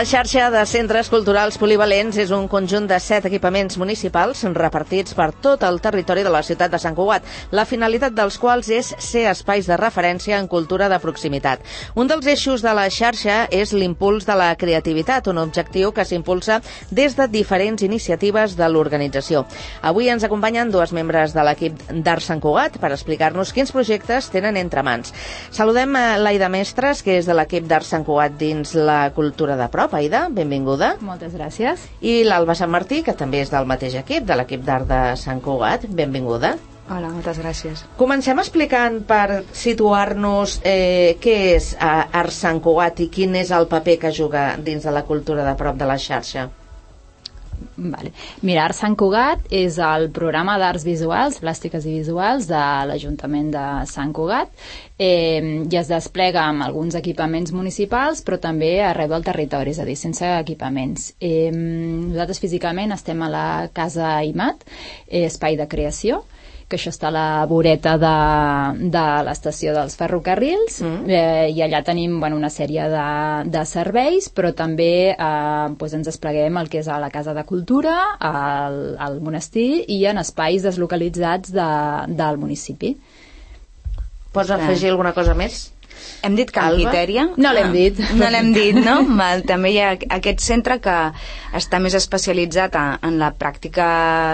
La xarxa de centres culturals polivalents és un conjunt de 7 equipaments municipals repartits per tot el territori de la ciutat de Sant Cugat, la finalitat dels quals és ser espais de referència en cultura de proximitat. Un dels eixos de la xarxa és l'impuls de la creativitat, un objectiu que s'impulsa des de diferents iniciatives de l'organització. Avui ens acompanyen 2 membres de l'equip d'Art Sant Cugat per explicar-nos quins projectes tenen entre mans. Saludem a l'Aida Mestres, que és de l'equip d'Art Sant Cugat dins la cultura de prop. Aida, benvinguda. Moltes gràcies. I l'Alba Sant Martí, que també és del mateix equip, de l'equip d'Art de Sant Cugat. Benvinguda. Hola, moltes gràcies. Comencem explicant, per situar-nos, què és Art Sant Cugat i quin és el paper que juga dins de la cultura de prop de la xarxa. Vale. Mira, Art Sant Cugat és el programa d'arts visuals, plàstiques i visuals de l'Ajuntament de Sant Cugat i es desplega amb alguns equipaments municipals, però també arreu del territori, és a dir, sense equipaments. Nosaltres físicament estem a la Casa IMAT, espai de creació, que això està a la voreta de l'estació dels ferrocarrils, i allà tenim una sèrie de serveis, però també ens despleguem el que és a la Casa de Cultura, al monestir i en espais deslocalitzats del municipi. Pots afegir alguna cosa més? Hem dit Can Quitèria? No l'hem dit. No l'hem dit, no? També hi ha aquest centre que està més especialitzat en la pràctica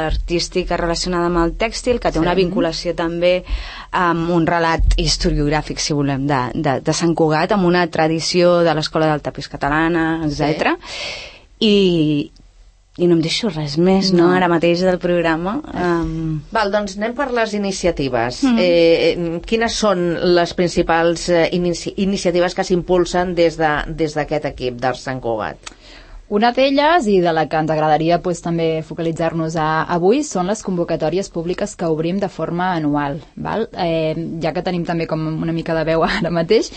artística relacionada amb el tèxtil, que té una vinculació també amb un relat historiogràfic, si volem, de Sant Cugat, amb una tradició de l'Escola del Tapís Catalana, etc. I no em deixo res més, no? Ara mateix del programa. Val, doncs anem per les iniciatives. Quines són les principals iniciatives que s'impulsen des d'aquest equip d'Art Sant Cugat? Una d'elles, i de la que ens agradaria també focalitzar-nos avui, són les convocatòries públiques que obrim de forma anual. Val? Ja que tenim també com una mica de veu ara mateix,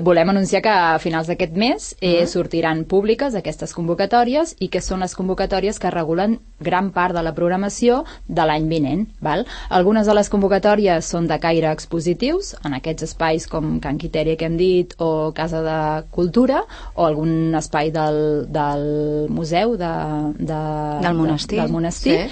volem anunciar que a finals d'aquest mes sortiran públiques aquestes convocatòries i que són les convocatòries que regulen gran part de la programació de l'any vinent. Val? Algunes de les convocatòries són de caire expositius, en aquests espais com Can Quitèria que hem dit, o Casa de Cultura, o algun espai del museu del monestir,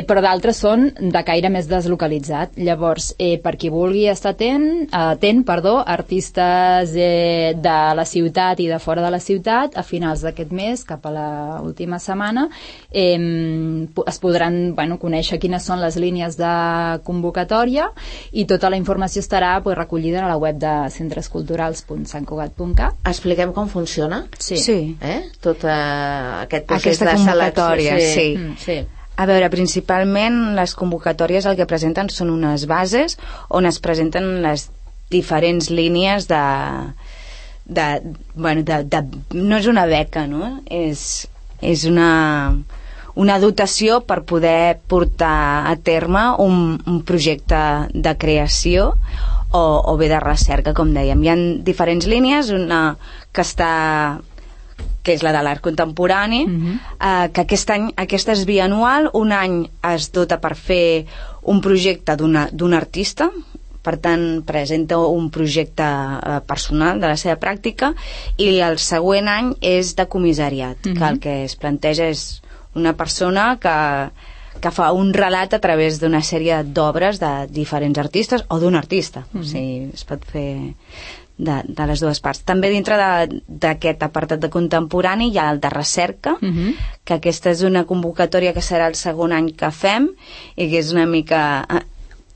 però d'altres són de caire més deslocalitzat. Llavors, per qui vulgui estar atent, artistes de la ciutat i de fora de la ciutat, a finals d'aquest mes, cap a l'última setmana, es podran conèixer quines són les línies de convocatòria i tota la informació estarà recollida a la web de centresculturals.santcugat.cat. Expliquem com funciona? Sí. Tot aquest procés de convocatòria. Sí. A veure, principalment les convocatòries el que presenten són unes bases on es presenten les diferents línies no és una beca, no? És una dotació per poder portar a terme un projecte de creació o bé de recerca, com dèiem. Hi ha diferents línies, una que és la de l'art contemporani, que aquesta és bianual. Un any es dota per fer un projecte d'un artista, per tant presenta un projecte personal de la seva pràctica, i el següent any és de comissariat, que el que es planteja és una persona que fa un relat a través d'una sèrie d'obres de diferents artistes o d'un artista. O sigui, es pot fer de les dues parts. També dintre d'aquest apartat de contemporani hi ha el de recerca, que aquesta és una convocatòria que serà el segon any que fem i que és una mica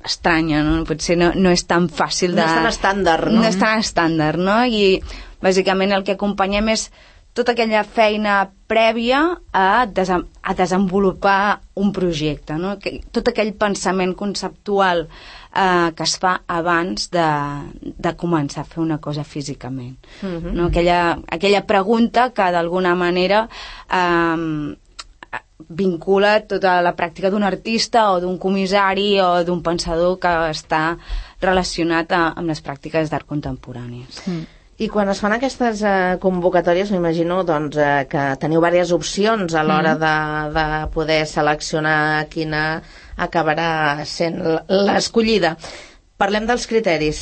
estranya, no? Potser no és tan fàcil de... No és tan estàndard, no? No és tan estàndard, no? I bàsicament el que acompanyem és tota aquella feina prèvia a desenvolupar un projecte, no? Tot aquell pensament conceptual que es fa abans de començar a fer una cosa físicament, no? Aquella pregunta que d'alguna manera vincula tota la pràctica d'un artista o d'un comissari o d'un pensador que està relacionat amb les pràctiques d'art contemporànies. I quan es fan aquestes convocatòries, m'imagino que teniu diverses opcions a l'hora de poder seleccionar quina acabarà sent l'escollida. Parlem dels criteris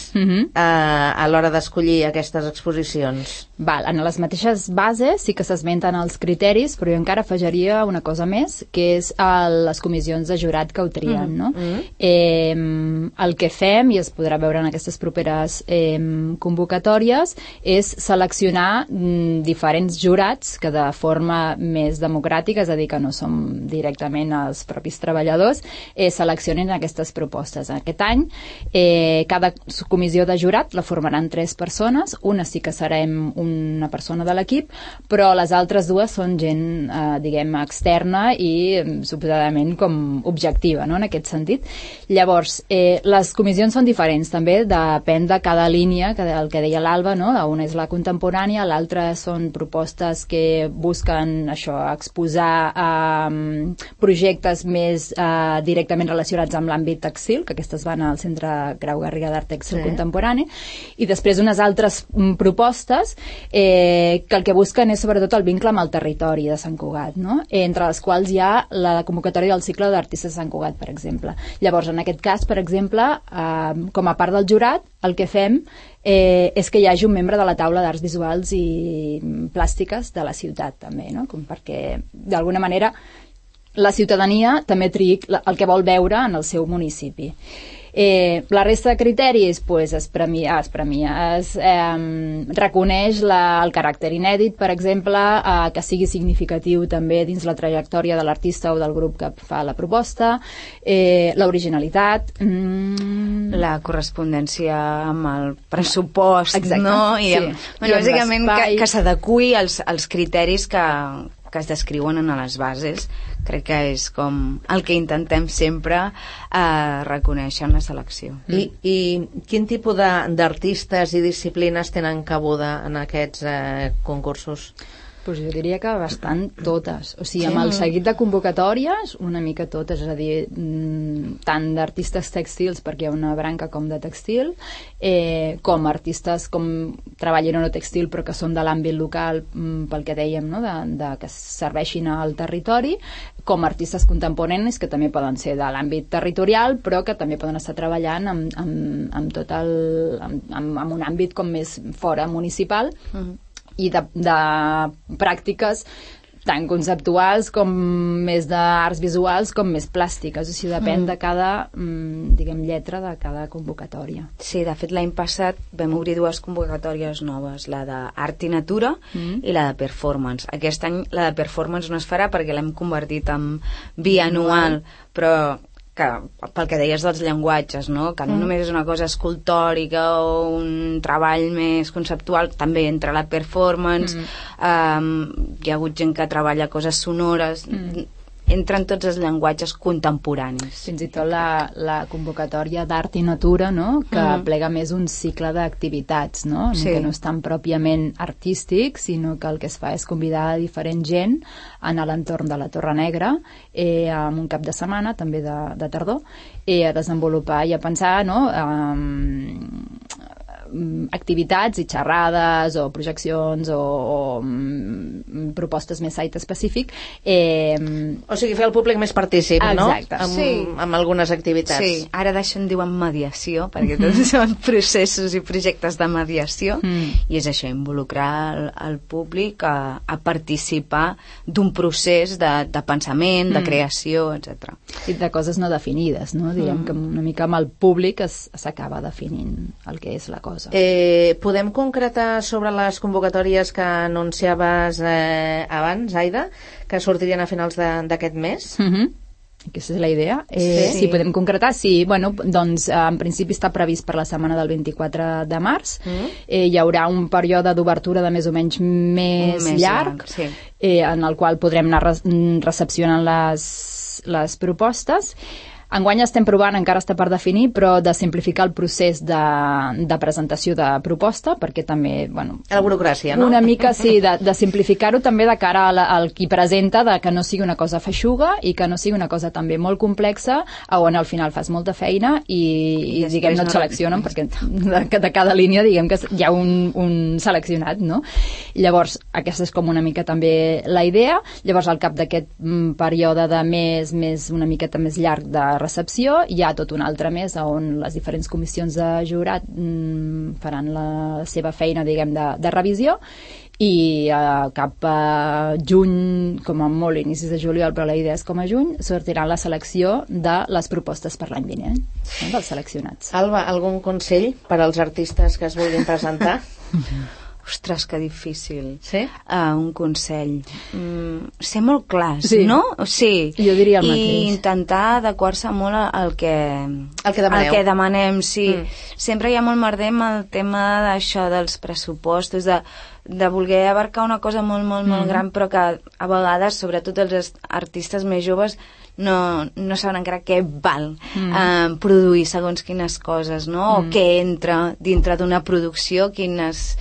a l'hora d'escollir aquestes exposicions. En les mateixes bases sí que s'esmenten els criteris, però jo encara afegiria una cosa més, que és les comissions de jurat que ho trien, no? El que fem, i es podrà veure en aquestes properes convocatòries, és seleccionar diferents jurats que de forma més democràtica, és a dir, que no som directament els propis treballadors, seleccionin aquestes propostes. Aquest any, cada comissió de jurat la formaran 3 persones, una sí que serem una persona de l'equip, però les altres 2 són gent, diguem, externa i suposadament com objectiva, no?, en aquest sentit. Llavors, les comissions són diferents, també depèn de cada línia, el que deia l'Alba, no?, una és la contemporània, l'altra són propostes que busquen això, exposar projectes més directament relacionats amb l'àmbit tèxtil, que aquestes van al Centre Grau Garriga d'Art Tèxtil Contemporani, i després unes altres propostes que el que busquen és sobretot el vincle amb el territori de Sant Cugat, no?, entre les quals hi ha la convocatòria del cicle d'artistes de Sant Cugat, per exemple. Llavors, en aquest cas, per exemple, com a part del jurat, el que fem és que hi hagi un membre de la taula d'arts visuals i plàstiques de la ciutat, també, no?, com perquè, d'alguna manera, la ciutadania també triï el que vol veure en el seu municipi. La resta de criteris es reconeix el caràcter inèdit, per exemple, que sigui significatiu també dins la trajectòria de l'artista o del grup que fa la proposta, l'originalitat, la correspondència amb el pressupost. Exacte, no? I bàsicament que s'adeqüi als criteris que es descriuen en les bases. Crec que és com el que intentem sempre reconèixer en la selecció. I quin tipus d'artistes i disciplines tenen cabuda en aquests concursos? Pues jo diria que bastant totes. O sigui, amb el seguit de convocatòries, una mica totes, és a dir, tant d'artistes tèxtils, perquè hi ha una branca com de tèxtil, com artistes com treballin o no tèxtil, però que són de l'àmbit local, pel que dèiem, no?, que serveixin al territori, com artistes contemporanis, que també poden ser de l'àmbit territorial, però que també poden estar treballant amb tot amb un àmbit com més fora municipal, i de pràctiques tant conceptuals com més d'arts visuals com més plàstiques, o sigui, depèn de cada, diguem, lletra de cada convocatòria. Sí, de fet l'any passat vam obrir 2 convocatòries noves, la d'art i natura i la de performance. Aquest any la de performance no es farà perquè l'hem convertit en bianual, però que pel que deies dels llenguatges, no?, que no només és una cosa escultòrica o un treball més conceptual, també entra la performance, hi ha hagut gent que treballa coses sonores, entren tots els llenguatges contemporanis. Fins i tot la convocatòria d'art i natura, no?, que plega més un cicle d'activitats, no?, que no és tan pròpiament artístic, sinó que el que es fa és convidar a diferent gent en l'entorn de la Torre Negra, amb un cap de setmana, també de tardor, a desenvolupar i a pensar, no?, activitats i xerrades o projeccions o propostes més site específic. O sigui, fer el públic més partícip, no? Exacte. Amb algunes activitats. Sí, ara d'això en diuen mediació, perquè tots són processos i projectes de mediació, i és això, involucrar el públic a participar d'un procés de pensament, de creació, etc. I de coses no definides, no? Diguem que una mica amb el públic s'acaba definint el que és la cosa. Podem concretar sobre les convocatòries que anunciaves abans, Aida, que sortirien a finals d'aquest mes? Aquesta és la idea. Sí, podem concretar. Sí, bueno, doncs en principi està previst per la setmana del 24 de març. Hi haurà un període d'obertura de més o menys més llarg, en el qual podrem anar recepcionant les propostes. Enguany estem provant, encara està per definir, però de simplificar el procés de presentació de proposta, perquè també, bueno... La burocràcia, no? Una mica, sí, de simplificar-ho també de cara al qui presenta, de que no sigui una cosa feixuga i que no sigui una cosa també molt complexa, on al final fas molta feina i diguem, no et seleccionen, perquè de cada línia, diguem que hi ha un seleccionat, no? Llavors, aquesta és com una mica també la idea. Llavors, al cap d'aquest període de més una miqueta més llarg de recepció. Hi ha tot un altre mes on les diferents comissions de jurat faran la seva feina, diguem, de revisió, i cap a juny, com a molt inicis de juliol, però la idea és com a juny, sortirà la selecció de les propostes per l'any vinent, dels seleccionats. Alba, algun consell per als artistes que es vulguin presentar? Ostres, que difícil. Sí? Un consell. Ser molt clars, sí. No? Sí. Jo diria el mateix. I intentar adequar-se molt al que demaneu. El que demanem, sí. Sempre hi ha molt merder amb el tema d'això dels pressupostos, de voler abarcar una cosa molt, molt, molt gran, però que a vegades, sobretot els artistes més joves, no saben encara què val produir segons quines coses, no? O què entra dintre d'una producció, quines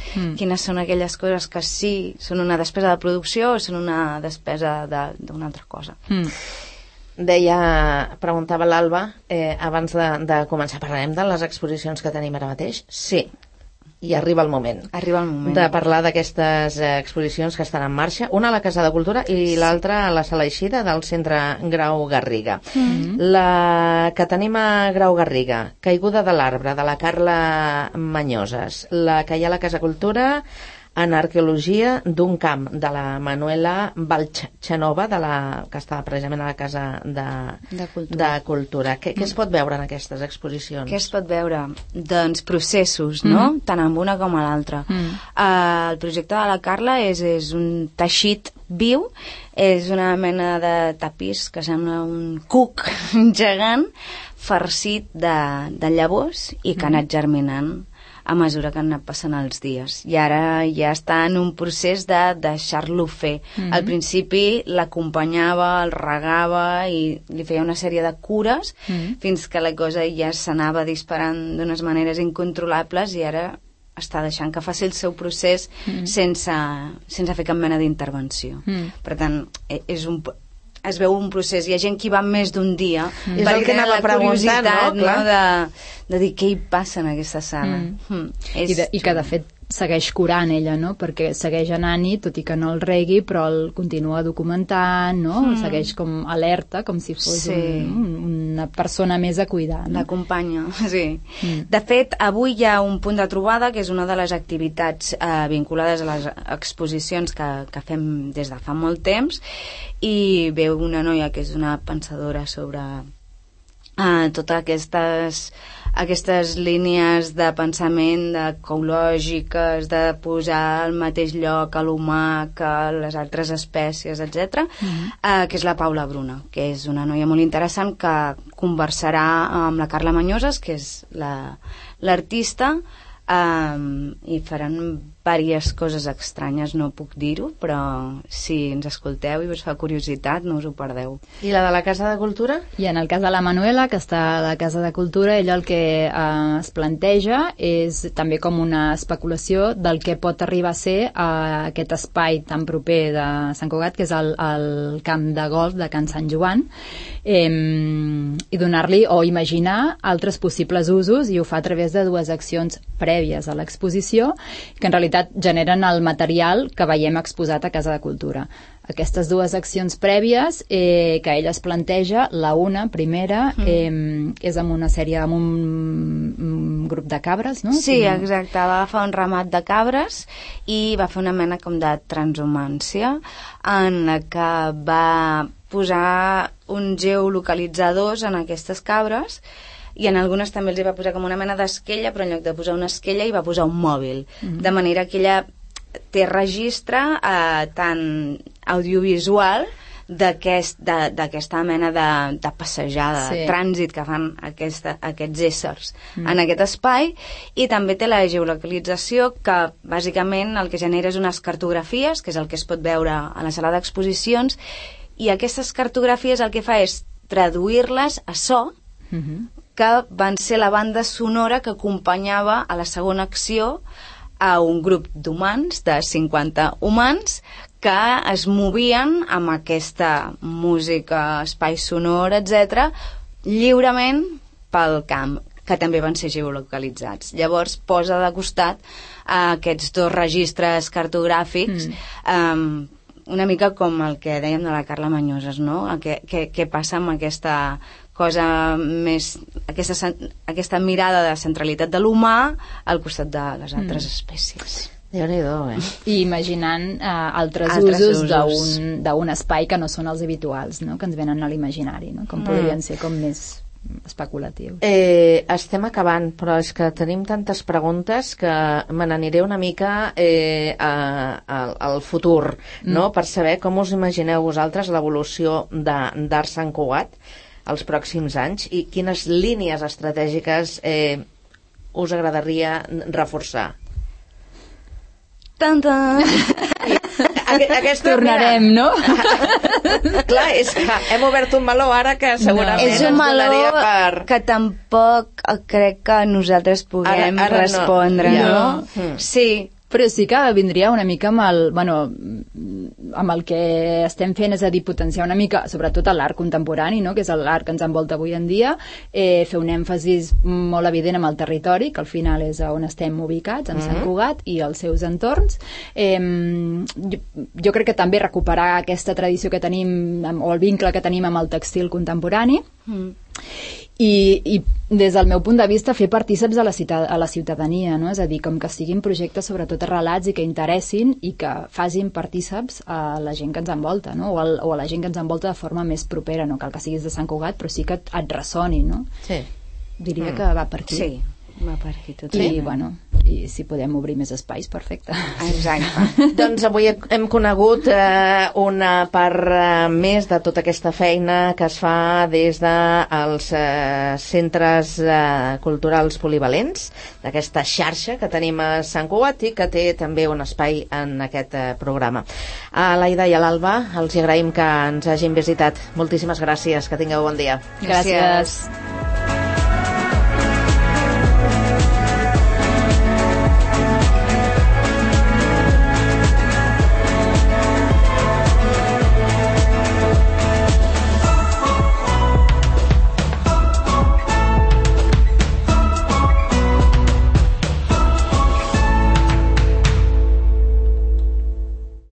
són aquelles coses que sí són una despesa de producció o són una despesa d'una altra cosa. Preguntava l'Alba, abans de començar, parlarem de les exposicions que tenim ara mateix? Sí. I arriba el moment. De parlar d'aquestes exposicions que estan en marxa, una a la Casa de Cultura i l'altra a la Sala Eixida del Centre Grau Garriga. La que tenim a Grau Garriga, Caiguda de l'arbre, de la Carla Mañoses. La que hi ha a la Casa Cultura, en arqueologia d'un camp, de la Manuela Valchanova, que està precisament a la Casa de Cultura. Què es pot veure en aquestes exposicions? Què es pot veure? Doncs processos, no? Tant amb una com a l'altra. El projecte de la Carla és un teixit viu, és una mena de tapís que sembla un cuc gegant farcit de llavors i que ha anat germinant a mesura que han anat passant els dies. I ara ja està en un procés de deixar-lo fer. Al principi l'acompanyava, el regava i li feia una sèrie de cures fins que la cosa ja s'anava disparant d'unes maneres incontrolables i ara està deixant que faci el seu procés sense fer cap mena d'intervenció. Per tant, es veu un procés. Hi ha gent que hi va més d'un dia perquè tenen la curiositat, no? De dir què hi passa en aquesta sala. I que de fet segueix curant ella, no? Perquè segueix anant-hi, tot i que no el regui, però el continua documentant, no? Segueix com alerta, com si fos una persona més a cuidar, no? L'acompanya, sí. De fet, avui hi ha un punt de trobada, que és una de les activitats vinculades a les exposicions que fem des de fa molt temps, i veu una noia que és una pensadora sobre totes aquestes línies de pensament ecològiques, de posar al mateix lloc a l'humà que les altres espècies, etc., que és la Paula Bruna, que és una noia molt interessant que conversarà amb la Carla Mañoses, que és l'artista, i faran diverses coses estranyes, no puc dir-ho, però si ens escolteu i us fa curiositat, no us ho perdeu. I la de la Casa de Cultura? I en el cas de la Manuela, que està a la Casa de Cultura, ella el que es planteja és també com una especulació del que pot arribar a ser aquest espai tan proper de Sant Cugat, que és el camp de golf de Can Sant Joan, i donar-li o imaginar altres possibles usos, i ho fa a través de dues accions prèvies a l'exposició, que en realitat generen el material que veiem exposat a Casa de Cultura. Aquestes dues accions prèvies que ella es planteja, la primera, és amb una sèrie, amb un grup de cabres, no? Sí, exacte, va agafar un ramat de cabres i va fer una mena com de transhumància en la que va posar uns geolocalitzadors en aquestes cabres, i en algunes també els va posar com una mena d'esquella, però en lloc de posar una esquella hi va posar un mòbil, de manera que ella té registre tant audiovisual d'aquesta mena de passejada, de trànsit que fan aquests éssers en aquest espai, i també té la geolocalització, que bàsicament el que genera és unes cartografies, que és el que es pot veure a la sala d'exposicions, i aquestes cartografies el que fa és traduir-les a so, que van ser la banda sonora que acompanyava a la segona acció a un grup d'humans, de 50 humans, que es movien amb aquesta música, espai sonor, etc., lliurement pel camp, que també van ser geolocalitzats. Llavors posa de costat aquests dos registres cartogràfics una mica com el que dèiem de la Carla Mañoses, no? Què passa amb aquesta cosa més, aquesta mirada de centralitat de l'humà al costat de les altres espècies. Déu-n'hi-do, I imaginant altres usos d'un espai que no són els habituals, no? Que ens venen a l'imaginari, no? Com podrien ser com més especulatiu. Estem acabant, però és que tenim tantes preguntes que me n'aniré una mica al futur, no? Per saber com us imagineu vosaltres l'evolució d'Art Sant Cugat els pròxims anys i quines línies estratègiques us agradaria reforçar. Tornarem, no? Clar, és que hem obert un meló ara que segurament és un meló que tampoc crec que nosaltres puguem respondre, no? Sí, però sí que vindria una mica amb el que estem fent, és a dir, potenciar una mica, sobretot l'art contemporani, no? Que és l'art que ens envolta avui en dia, fer un èmfasis molt evident amb el territori, que al final és on estem ubicats, en Sant Cugat i els seus entorns. Jo crec que també recuperar aquesta tradició que tenim, o el vincle que tenim amb el tèxtil contemporani, i des del meu punt de vista fer partíceps a la ciutadania, no? És a dir, com que siguin projectes sobretot arrelats i que interessin i que facin partíceps a la gent que ens envolta, no? O a la gent que ens envolta de forma més propera, no cal que siguis de Sant Cugat, però sí que et ressoni, no? Sí. Diria que va per aquí. Sí, va per aquí tot. I si podem obrir més espais, perfecte. Exacte. Doncs avui hem conegut una part més de tota aquesta feina que es fa des dels centres culturals polivalents, d'aquesta xarxa que tenim a Sant Cugat i que té també un espai en aquest programa. A l'Aida i a l'Alba els agraïm que ens hagin visitat. Moltíssimes gràcies, que tingueu bon dia. Gràcies.